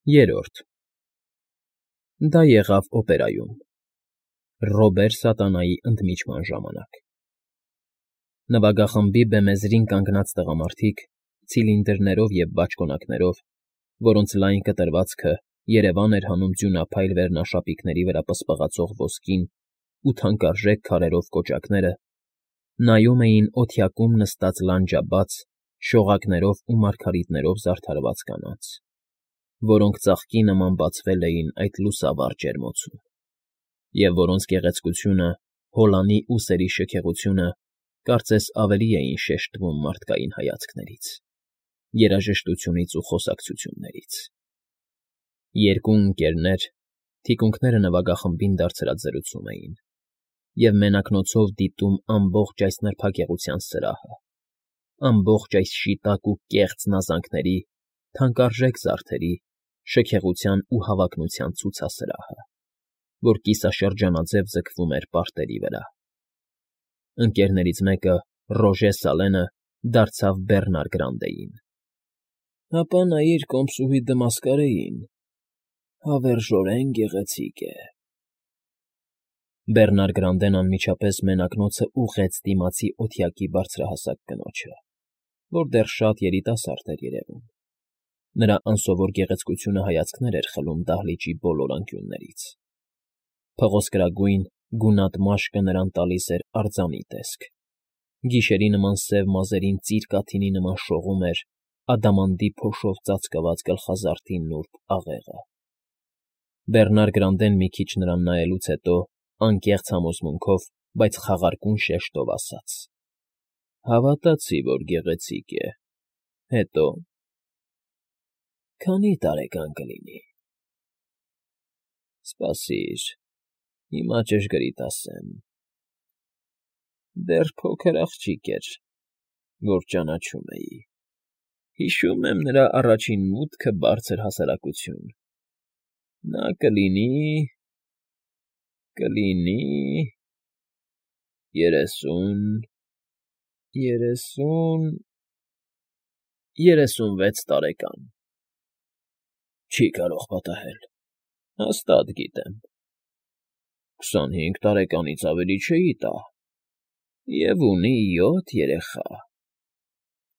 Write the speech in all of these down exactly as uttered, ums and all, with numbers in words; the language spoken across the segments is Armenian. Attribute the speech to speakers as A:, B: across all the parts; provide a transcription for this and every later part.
A: Երրորդ Դա եղավ օպերայում, Ռոբեր Սատանայի ընդմիջման ժամանակ։ Նվագախմբի բեմեզրին կանգնած տղամարդիկ, ցիլինդրներով և բաճկոնակներով, որոնց լայն կտրվածքը երևան էր հանում ձյունափայլ վերնաշապիկների վրա պսպղացող ոսկին ու թանկարժեք քարերով կոճակները, նայում էին օդյակում նստած լանջաբաց, շողակներով ու մարգարիտներով զարդարված կանանց, որոնք ծաղկի նման բացվել էին այդ լուսավառ ջերմոցում, և որոնց գեղեցկությունը, հոլանի ու սերի շքեղությունը կարծես ավելի էին շեշտվում մարդկային հայացքներից, երաժշտությունից ու խոսակցություններից։ Երկու ընկերներ, թիկունքները նվագախմբին դարձրած զրուցում էին, և մենակնոցով դիտում ամբողջ այս նրբագեղության սրահը, ամբողջ այս շիտակ ու կեղծ նազանքների, թանկարժեք զարդերի, շքեղության ու հավակնության ցուցասրահը, որ կիսաշրջանաձև ձգվում էր պարտերի վրա։ Ընկերներից մեկը, Ռոժե Սալենը, դարձավ Բեռնար Գրանտեին. ֊ Հապա նայիր կոմսուհի Դմասկարեին, հավերժորեն գեղեցիկ է… Բեռնար Գրանտեն անմիջապես մենակնոցը ուղղեց դիմացի օդյակի բարձրահասակ կնոջը, որ դեռ շատ երիտասարդ էր երևում. նրա անսովոր գեղեցկությունը հայացքներ էր խլում դահլիճի բոլոր անկյուններից, փղոսկրագույն, գունատ մաշկը նրան տալիս էր արձանի տեսք, գիշերի նման սև մազերին ծիր կաթիլի նման շողում էր ադամանդի փոշով ծածկված գլխազարդի նուրբ աղեղը։ Բեռնար Գրանտեն մի քիչ նրան նայելուց հետո անկեղծ համոզմունքով, բայց խաղարկուն շեշտով ասաց. ֊ Հավատացի, որ գեղեցիկ է, հետո՞։ ֊ Քանի՞ տարեկան կլինի։ ֊ Սպասիր, հիմա ճշգրիտ ասեմ… Դեռ փոքր աղջիկ էր, որ ճանաչում էի, հիշում եմ նրա առաջին մուտքը բարձր հասարակություն… Նա կլինի… կլինի… երեսուն… երեսուն… երեսունվեց տարեկան… Չի կարող պատահել… հաստատ գիտեմ… քսանհինգ տարեկանից ավելի չէի տա… և ունի յոթ երեխա…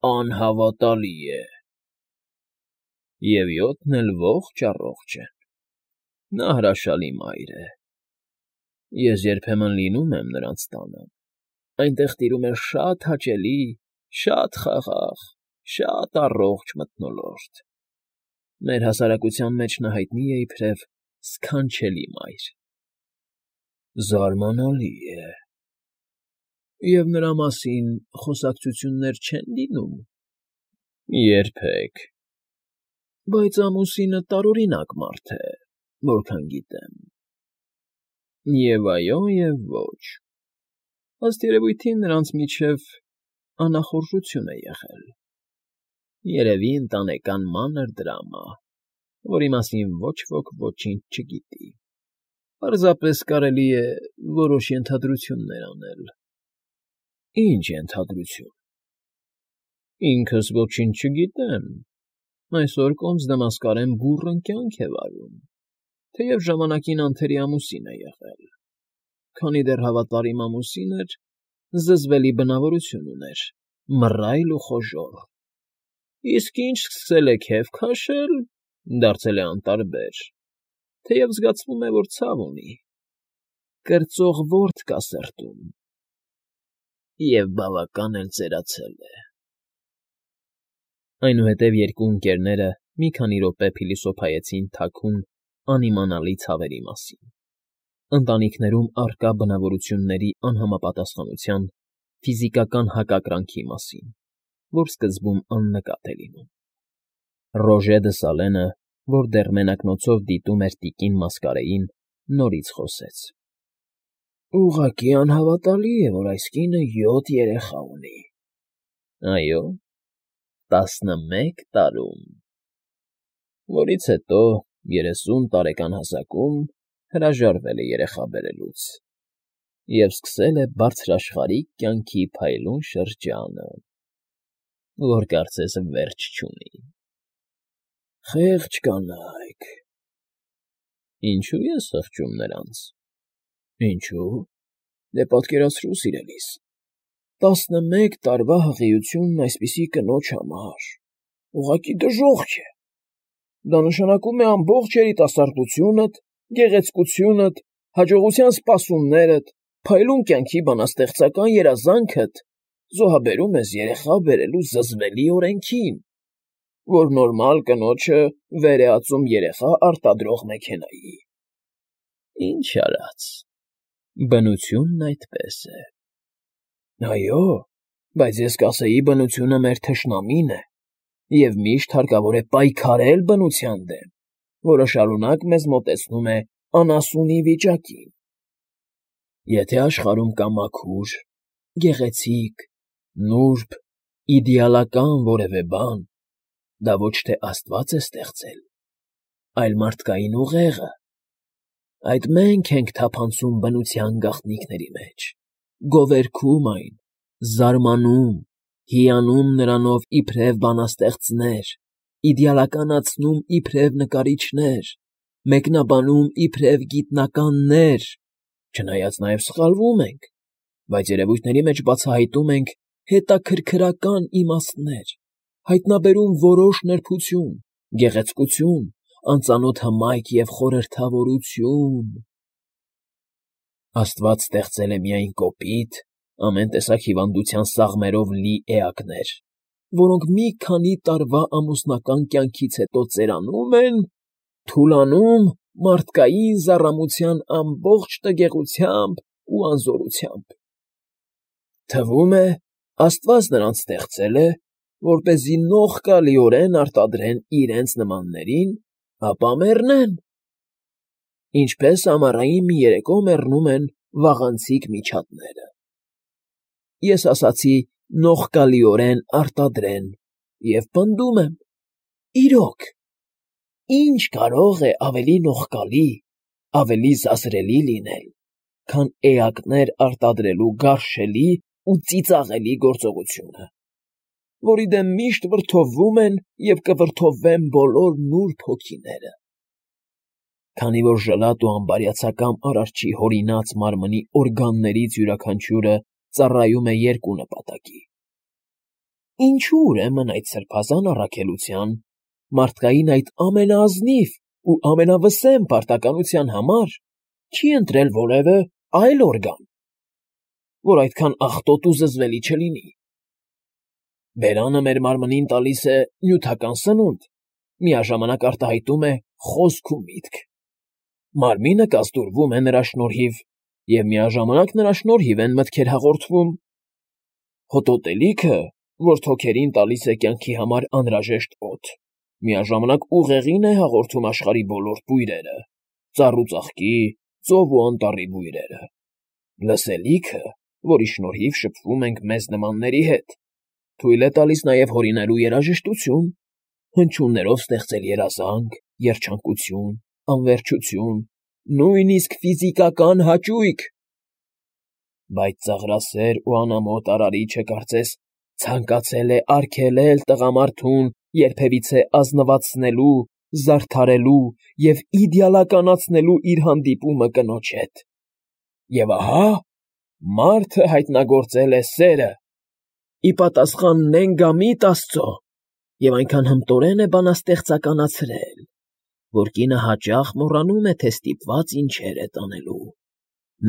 A: Անհավատալի է… Եվ յոթն էլ ողջ֊առողջ են… Նա հրաշալի մայր է… Ես երբեմն լինում եմ նրանց տանը… Այնտեղ տիրում է շատ հաճելի, շատ խաղաղ, շատ առողջ մթնոլորտ… Մեր հասարակության մեջ նա հայտնի է իբրև սքանչելի մայր… Զարմանալի է… Եվ նրա մասին խոսակցություններ չե՞ն լինում… Երբեք… Բայց ամուսինը տարօրինակ մարդ է, որքան գիտեմ… Եվ այո և ոչ… Ըստ երևույթին նրանց միջև անախորժություն է եղել… Երևի ընտանեկան մանր դրամա, որի մասին ոչ ոք ոչինչ չգիտի… Պարզապես կարելի է որոշ ենթադրություններ անել… Ի՞նչ ենթադրություն… Ինքս ոչինչ չգիտեմ… Այսօր կոմս Դմասկարեն բուռն կյանք է վարում, թեև ժամանակին անթերի ամուսին է եղել… Քանի դեռ հավատարիմ ամուսին էր, զզվելի բնավորություն ուներ, մռայլ ու խոժոռ… Իսկ ինչ սկսել է քեֆ քաշել, դարձել է անտարբեր, թեև զգացվում է, որ ցավ ունի… Կրծող ворդ կա սրտում… Եվ բավական էլ ծերացել է… Այնուհետև երկու ընկերները մի քանի րոպե փիլիսոփայեցին թաքուն, անիմանալի ցավերի մասին, ընտանիքներում առկա բնավորությունների անհամապատասխանության, ֆիզիկական հակակրանքի մասին, որ սկզբում աննկատ է լինում։ Ռոժե դը Սալենը, որ դեռ մենակնոցով դիտում էր տիկին Մասկարեին, նորից խոսեց. ֊ Ուղղակի անհավատալի է, որ այս կինը յոթ երեխա ունի… Այո, տասնմեկ տարում… Որից հետո, երեսուն տարեկան հասակում, հրաժարվել է երեխա բերելուց և սկսել է բարձրաշխարհիկ կյանքի փայլուն շրջանը, որ կարծես վերջ չունի… Խեղճ կանայք… Ինչո՞ւ ես խղճում նրանց։ Ինչո՞ւ։ Դե պատկերացրու, սիրելիս, տասնմեկ տարվա հղիությունն այսպիսի կնոջ համար ուղղակի դժոխք է։ Դա նշանակում է ամբողջ երիտասարդությունդ, գեղեցկությունդ, հաջողության սպասումներդ, փայլուն կյանքի բանաստեղծական երազանքդ զոհաբերում ես երեխա բերելու զզվելի օրենքին, որ նորմալ կնոջը վեր է ածում երեխա արտադրող մեքենայի։ Ինչ արած, բնությունն այդպես է։ Այո, բայց ես կասեի, բնությունը մեր թշնամին է, և միշտ հարկավոր է պայքարել բնության դեմ, որը շարունակ մեզ մոտեցնում է անասունի վիճակին։ Եթե աշխարհում կա մաքուր, գեղեցիկ, նուրբ, իդեալական որևէ բան, դա ոչ թե Աստված է ստեղծել, այլ մարդկային ուղեղը։ Այդ մենք ենք թափանցում բնության գաղտնիքների մեջ, գովերգում այն, զարմանում, հիանում նրանով իբրև բանաստեղծներ, իդեալականացնում իբրև նկարիչներ, մեկնաբանում իբրև գիտնականներ, չնայած նաև սխալվում ենք, բայց երևույթների մեջ բացահայտում ենք հետաքրքրական իմաստներ, հայտնաբերում որոշ նրբություն, գեղեցկություն, անծանոթ հմայք և խորհրդավորություն։ Աստված ստեղծել է միայն կոպիտ, ամեն տեսակ հիվանդության սաղմերով լի էակներ, որոնք մի քանի տարվա ամուսնական կյանքից հետո ծերանում են, թուլանում մարդկային զառամության ամբողջ տգեղությամբ ու անզորությամբ։ Թվում է, Աստված նրանց ստեղծել է, որպեսզի նողկալիորեն արտադրեն իրենց նմաններին, ապա մեռնեն, ինչպես ամառային մի երեկո մեռնում են վաղանցիկ միջատները։ Ես ասացի նողկալիորեն արտադրեն և պնդում եմ. իրոք, ի՞նչ կարող է ավելի նողկալի, ավելի զազրելի լինել, քան էակներ արտադրելու գարշելի ու ծիծաղելի գործողությունը, որի դեմ միշտ վրդովվում են և կվրդովվեն բոլոր նուրբ հոգիները։ Քանի որ ժլատ ու անբարյացակամ Արարչի հորինած մարմնի օրգաններից յուրաքանչյուրը ծառայում է երկու նպատակի։ Ինչո՞ւ ուրեմն այդ սրբազան առաքելության, մարդկային այդ ամենաազնիվ ու ամենավսեմ պարտականության համար չի ընտրել որևէ այլ օրգան, որ այդքան աղտոտ ու զզվելի չլինի։ Բերանը մեր մարմնին տալիս է նյութական սնունդ, միաժամանակ արտահայտում է խոսք ու միտք։ Մարմինը կազդուրվում է նրա շնորհիվ, և միաժամանակ նրա շնորհիվ են մտքեր հաղորդվում։ Հոտոտելիքը, որ թոքերին տալիս է կյանքի համար անհրաժեշտ օդ, միաժամանակ ուղեղին է հաղորդում աշխարհի բոլոր բույրերը, ծառ ու ծաղկի, ծով ու անտառի բույրերը։ Լսելիքը, որի շնորհիվ շփվում ենք մեզ նմանների հետ, թույլ է տալիս նաև հորինելու երաժշտություն, հնչյուններով ստեղծել երազանք, երջանկություն, անվերջություն, նույնիսկ ֆիզիկական հաճույք։ Բայց ծաղրասեր ու անամոթ արարիչը կարծես ցանկացել է արգելել տղամարդուն երբևիցե ազնվացնելու, զարդարելու և իդեալականացնելու իր հանդիպումը կնոջ հետ։ Եվ ահա մարդը հայտնագործել է սերը, ի պատասխան նենգամիտ Աստծո, և այնքան հմտորեն է բանաստեղծականացրել, որ կինը հաճախ մոռանում է, թե ստիպված ինչեր է տանելու։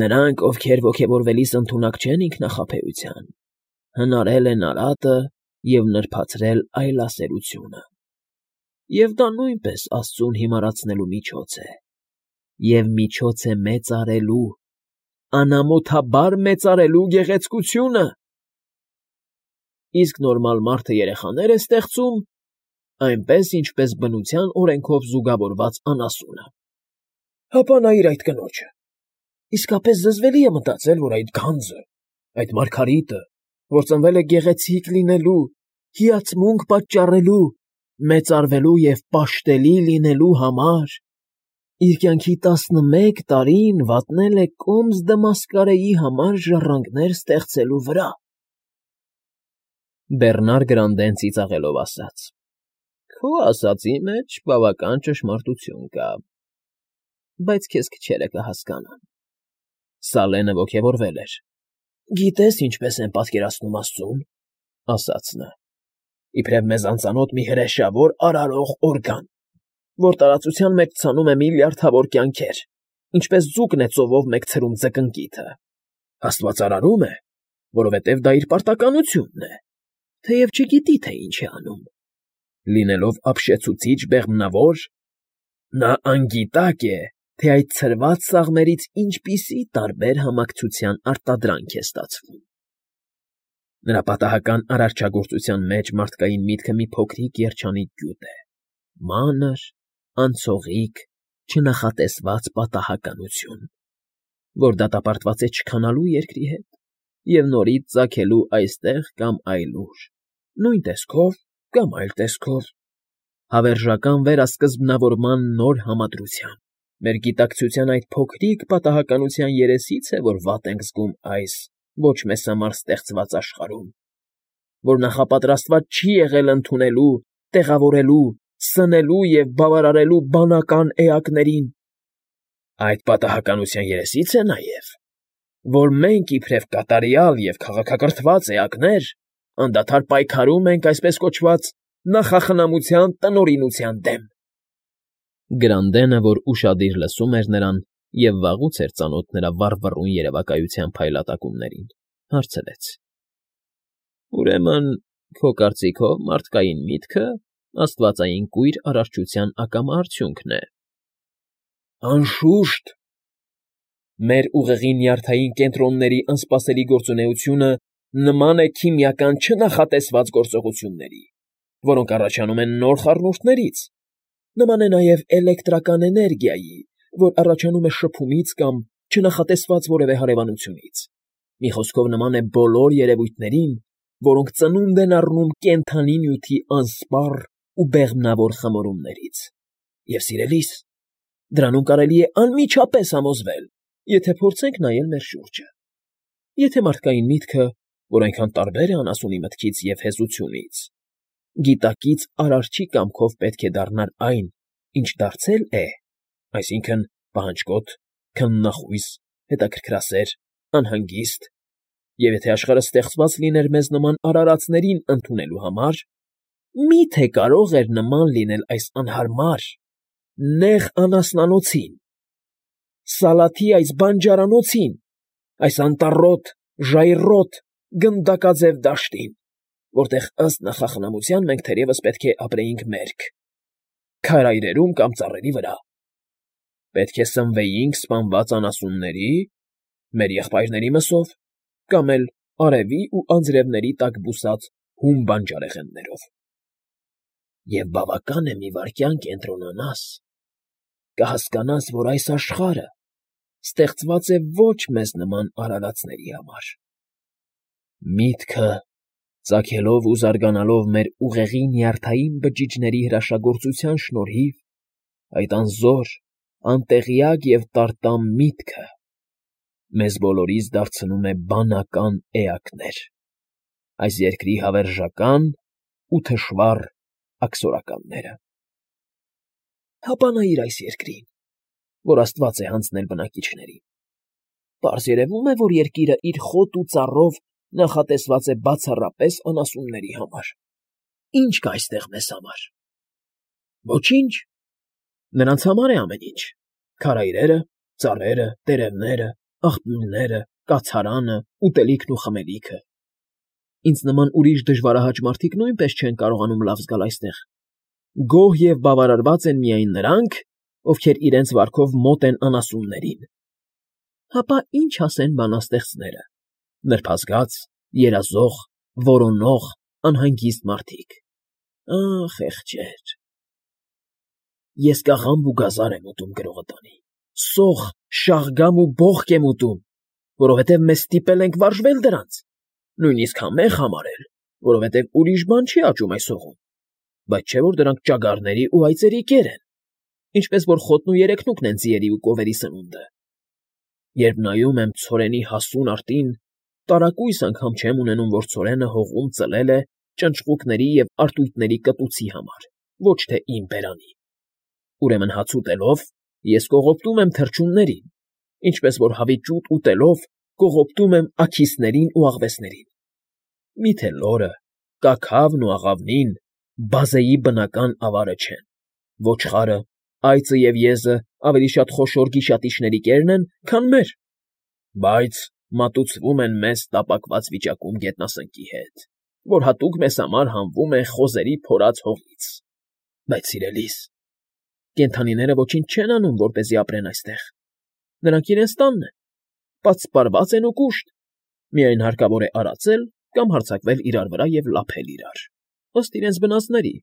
A: Նրանք, ովքեր ոգևորվելիս ընդունակ չեն ինքնախաբեության, հնարել են արատը և նրբացրել այլասերությունը։ Եվ դա նույնպես Աստծուն հիմարացնելու միջոց է, և միջոց է մեծարելու, անամոթաբար մեծարելու գեղեցկությունը։ Իսկ նորմալ մարդը երեխաներ է ստեղծում, այնպես, ինչպես բնության օրենքով զուգավորված անասունը։ Հապա նայիր այդ կնոջը, իսկապես զզվելի է մտածել, որ այդ գանձը, այդ մարգարիտը, որ ծնվել է գեղեցիկ լինելու, հիացմունք պատճառելու, մեծարվելու և պաշտելի լինելու համար, իր կյանքի տասնմեկ տարին վատնել է կոմս Դմասկարեի համար ժառանգներ ստեղծելու վրա։ Բեռնար Գրանդեն ծիծաղելով ասաց. Քո ասածի մեջ բավական ճշմարտություն կա։ բայց քեզ քչերը կհասկանան։ Սալենը ոգևորվել էր։ Գիտես ինչպես են պատկերացնում աստծուն, ասաց նա։ Իբրև մեզ անծանոթ մի հրեշավոր արարող օրգան, որ տարածության մեջ ցանում է միլիարդավոր կյանքեր, ինչպես ձուկն է ծովով մեկ ցրում ձկնկիթը։ Աստված արարում է, որովհետև դա իր պարտականությունն է, թեև չգիտի, թե ինչ է անում։ Լինելով ապշեցուցիչ բեղմնավոր, նա անգիտակ է, թե այդ ցրված սաղմերից ինչպիսի տարբեր համակցության արտադրանք է ստացվում։ Նրա պատահական արարչագործության մեջ մարդկային միտքը մի փոքրիկ երջանիկ գյուտ է, մանր, անցողիկ, չնախատեսված պատահականություն, որ դատապարտված է չքանալու երկրի հետ և նորից ծագելու այստեղ կամ այլուր, նույն տեսքով կամ այլ տեսքով, հավերժական վերասկզբնավորման նոր համադրությամբ։ Մեր գիտակցության այդ փոքրիկ պատահականության երեսից է, որ վատ ենք զգում այս ոչ մեզ համար ստեղծված աշխարհում, որ նախապատրաստված չի եղել ընդունելու, տեղավորելու, սնելու և բավարարելու բանական էակներին։ Այդ պատահականության երեսից է նաև, որ մենք իբրև կատարյալ և քաղաքակրթված էակներ անդադար պայքարում ենք այսպես կոչված նախախնամության տնօրինության դեմ։ Գրանդենը, որ ուշադիր լսում էր նրան և վաղուց էր ծանոթ նրա վառվռուն երևակայության փայլատակումներին, հարցրեց. Ուրեմն, քո կարծիքով, մարդկային միտքը աստվածային կույր արարչության ակամա արդյունքն է։ Անշուշտ։ Մեր ուղեղի նյարդային կենտրոնների անսպասելի գործունեությունը նման է քիմիական չնախատեսված գործողությունների, որոնք առաջանում են նոր խառնուրդներից, նման է նաև էլեկտրական էներգիայի, որ առաջանում է շփումից կամ չնախատեսված որևէ հարևանությունից։ Մի խոսքով նման է բոլոր երևույթներին, որոնք ծնունդ են առնում կենդանի նյութի անսպառ ու բեղմնավոր խմորումներից։ Եվ սիրելիս, դրանում կարելի է անմիջապես համոզվել, եթե փորձենք նայել մեր շուրջը։ Եթե մարդկային միտքը, որ այնքան տարբեր է անասունի մտքից և հեզությունից, գիտակից արարչի կամքով պետք է դառնար այն, ինչ դարձել է, այսինքն՝ պահանջկոտ, քննախույս, հետաքրքրասեր, անհանգիստ, և եթե աշխարհը ստեղծված լիներ մեզ նման արարածներին ընդունելու համար, մի՞թե կարող էր նման լինել այս անհարմար, նեղ անասնանոցին, Սալաթի այս բանջարանոցին, այս անտառոտ, ժայռոտ, գնդակաձև դաշտին, որտեղ ըստ նախախնամության մենք թերևս պետք է ապրեինք մերկ, քարայրերում կամ ծառերի վրա, պետք է սնվեինք սպանված անասունների, մեր եղբայրների մսով, կամ էլ արևի ու անձրևների տակ բուսած հում բանջարեղեններով։ Եվ բավական է մի վայրկյան կենտրոնանաս, կհասկանաս, որ այս աշխարհը ստեղծված է ոչ մեզ նման արարածների համար։ Միտքը, ծագելով ու զարգանալով մեր ուղեղի նյարդային բջիջների հրաշագործության շնորհիվ, այդ անզոր, անտեղյակ և տարտամ միտքը մեզ բոլորիս դարձնում է բանական էակներ, այս երկրի հավերժական ու թշվառ աքսորականները։ Հապա նայիր այս երկրին, որ աստված է հանձնել բնակիչներին. պարզ երևում է, որ երկիրը իր խոտ ու ծառով նախատեսված է բացառապես անասունների համար։ Ի՞նչ կա այստեղ մեզ համար։ Ոչինչ։ Նրանց համար է ամեն ինչ. քարայրերը, ծառերը, տերևները, աղբյուրները, կացարանը, ուտելիքն ու խմելիքը։ Ինձ նման ուրիշ դժվարահաճ մարդիկ նույնպես չեն կարողանում լավ զգալ այստեղ։ Գոհ և բավարարված են միայն նրանք, ովքեր իրենց վարքով մոտ են անասուններին։ Հապա ինչ ասեն բանաստեղծները. նրբազգաց, երազող, որոնող, անհանգիստ մարդիկ։ Ա՜խ, խեղճեր։ Ես կաղամբ ու գազար եմ ուտում գրողը տանի, սոխ, շաղգամ ու բոխկ եմ ուտում, որովհետև մեզ ստիպել ենք վարժվել դրանց, նույնիսկ համեղ համարել, որովհետև ուրիշ բան չի աճում այս հողում, բայց չէ՞ որ դրանք ճագարների ու այծերի կեր են, ինչպես որ խոտն ու երեքնուկն են ձիերի ու կովերի սնունդը։ Երբ նայում եմ ցորենի հասուն արտին, տարակույս անգամ չեմ ունենում, որ ցորենը հողում ծլել է ճնճղուկների և արտույտների կտուցի համար, ոչ թե իմ բերանի։ Ուրեմն հաց ուտելով Ես կողոպտում եմ թռչուններին, ինչպես որ հավիտյուտ ուտելով կողոպտում եմ աքիսներին ու աղվեսներին։ Միթե լորը, կաքավն ու աղավնին բազեի բնական ավարը չեն, ոչխարը, այծը և եզը ավելի շատ խոշոր գիշատիչների կերն են, քան մեր, բայց մատուցվում են մեզ տապակված վիճակում գետնասնկի հետ, որ հատուկ մեզ համար հանվում է խոզերի փորած հողից։ Բայց, սիրելիս, կենդանիները ոչինչ չեն անում, որպեսզի ապրեն այստեղ. նրանք իրենց տանն են, պատսպարված են ու կուշտ, միայն հարկավոր է արածել կամ հարձակվել իրար վրա և լափել իրար, ըստ իրենց բնածների,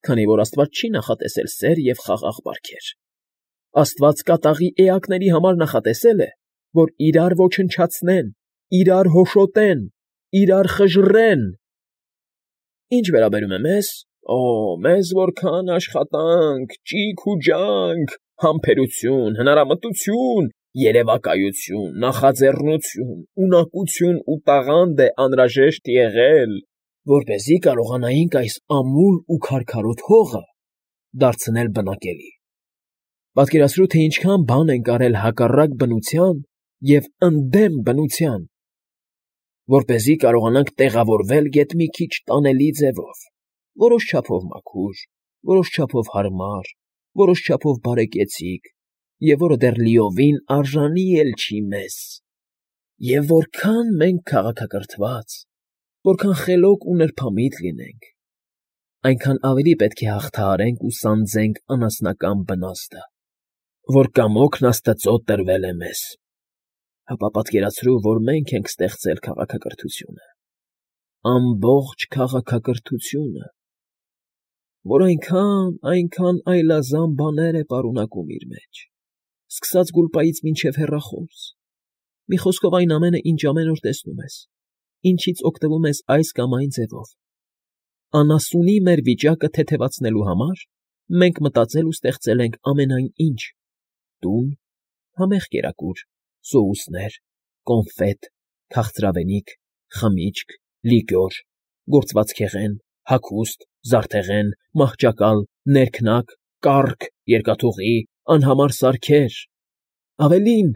A: քանի որ աստված չի նախատեսել սեր և խաղաղ բարքեր. աստված կատաղի էակների համար նախատեսել է, որ իրար ոչնչացնեն, իրար հոշոտեն, իրար խժռեն։ Ինչ վերաբերում է մեզ, օ, մեզ որքան աշխատանք, ճիգ ու ջանք, համբերություն, հնարամտություն, երևակայություն, նախաձեռնություն, ունակություն ու տաղանդ է անհրաժեշտ եղել, որպեսզի կարողանայինք այս ամուլ ու քարքարոտ հողը դարձնել բնակելի։ Պատկերացրու, թե ինչքան բան ենք արել հակառակ բնության և ընդդեմ բնության, որպեսզի կարողանանք տեղավորվել գեթ մի քիչ տանելի ձևով, որոշ չափով մաքուր, որոշ չափով հարմար, որոշ չափով բարեկեցիկ, և որը դեռ լիովին արժանի էլ չի մեզ։ Եվ որքան մենք քաղաքակրթված, որքան խելոք ու նրբամիտ լինենք, այնքան ավելի պետք է հաղթահարենք ու սանձենք անասնական բնաստը, որ կամոքն աստծո տրվել է մեզ։ Հապա պատկերացրու, որ մենք ենք ստեղծել քաղաքակրթությունը, ամբողջ քաղաքակրթությունը, որ այնքան, այնքան այլազան բաներ է պարունակում իր մեջ, սկսած գուլպայից մինչև հեռախոս, մի խոսքով այն ամենը, ինչ ամեն օր տեսնում ես, ինչից օգտվում ես այս կամ այն ձևով։ Անասունի մեր վիճակը թեթևացնելու համար մենք մտածել ու ստեղծել ենք ամենայն ինչ. տուն, համեղ կերակուր, սոուսներ, կոնֆետ, քաղցրավենիք, խմիչք, լիկյոր, գործվածքեղեն, հագուստ, զարդեղեն, մահճակալ, ներքնակ, կառք, երկաթուղի, անհամար սարքեր, ավելին,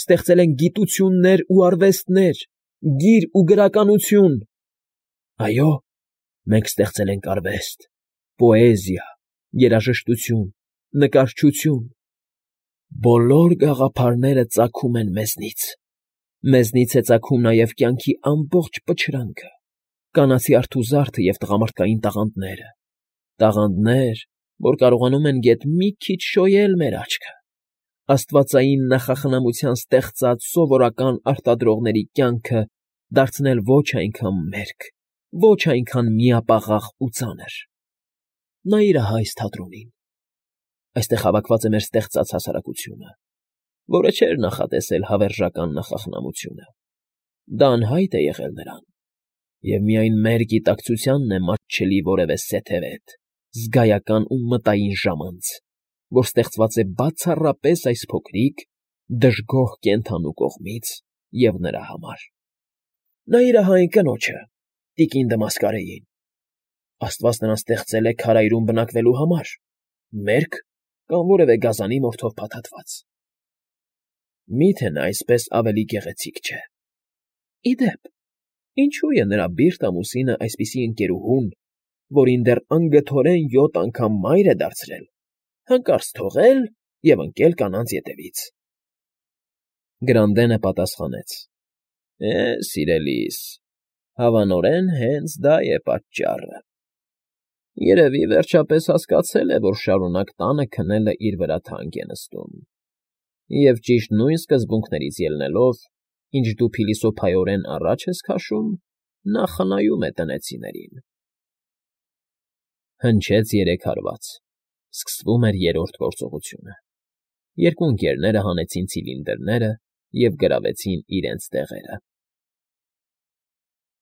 A: ստեղծել ենք գիտություններ ու արվեստներ, գիր ու գրականություն։ Այո, մենք ստեղծել ենք արվեստ, պոեզիա, երաժշտություն, նկարչություն։ Բոլոր գաղափարները ծագում են մեզնից, մեզնից է ծագում նաև կյանքի ամբողջ պչրանքը, կանացի արթուզարդը և տղամարդկային տաղանդները, տաղանդներ, որ կարողանում են գեթ մի քիչ շոյել մեր աչքը, աստվածային նախախնամության ստեղծած սովորական արտադրողների կյանքը դարձնել ոչ այնքան մերկ, ոչ այնքան միապաղաղ ու ծանր։ Նայիր ահա այս թատրոնին. այստեղ հավաքված է մեր ստեղծած հասարակությունը, որը չէր նախատեսել հավերժական նախախնամությունը, դա անհայտ է եղել նրան, և միայն մեր գիտակցությանն է մատչելի որևէ սեթևետ, զգայական ու մտային ժամանց, որ ստեղծված է բացառապես այս փոքրիկ, դժգոհ կենդանու կողմից և նրա համար։ Նայիր ահա այն կնոջը, տիկին Դմասկարեին. աստված նրան ստեղծել է քարայրում բնակվելու համար, մերկ կամ որևէ գազանի մորթով փաթաթված։ Մի՞թե նա այսպես ավելի գեղեցիկ չէ։ Ի դեպ, ինչո՞ւ է նրա բիրտ ամուսինը այսպիսի ընկերուհուն, որին դեռ անգթորեն յոթ անգամ մայր է դարձրել, հանկարծ թողել և ընկել կանանց ետևից։ Գրանդենը պատասխանեց. Է, սիրելիս, հավանորեն հենց դա է պատճառը։ Երևի վերջապես հասկացել է, որ շարունակ տանը քնելը իր վրա թանկ է նստում, և ճիշտ նույն սկզբունքներից ելնելով, ինչ դու փիլիսոփայորեն առաջ ես քաշում, նա խնայում է տնեցիներին։ Հնչեց երեք հարված, սկսվում էր երրորդ գործողությունը։ Երկու ընկերները հանեցին ցիլինդրները և գրավեցին իրենց տեղերը։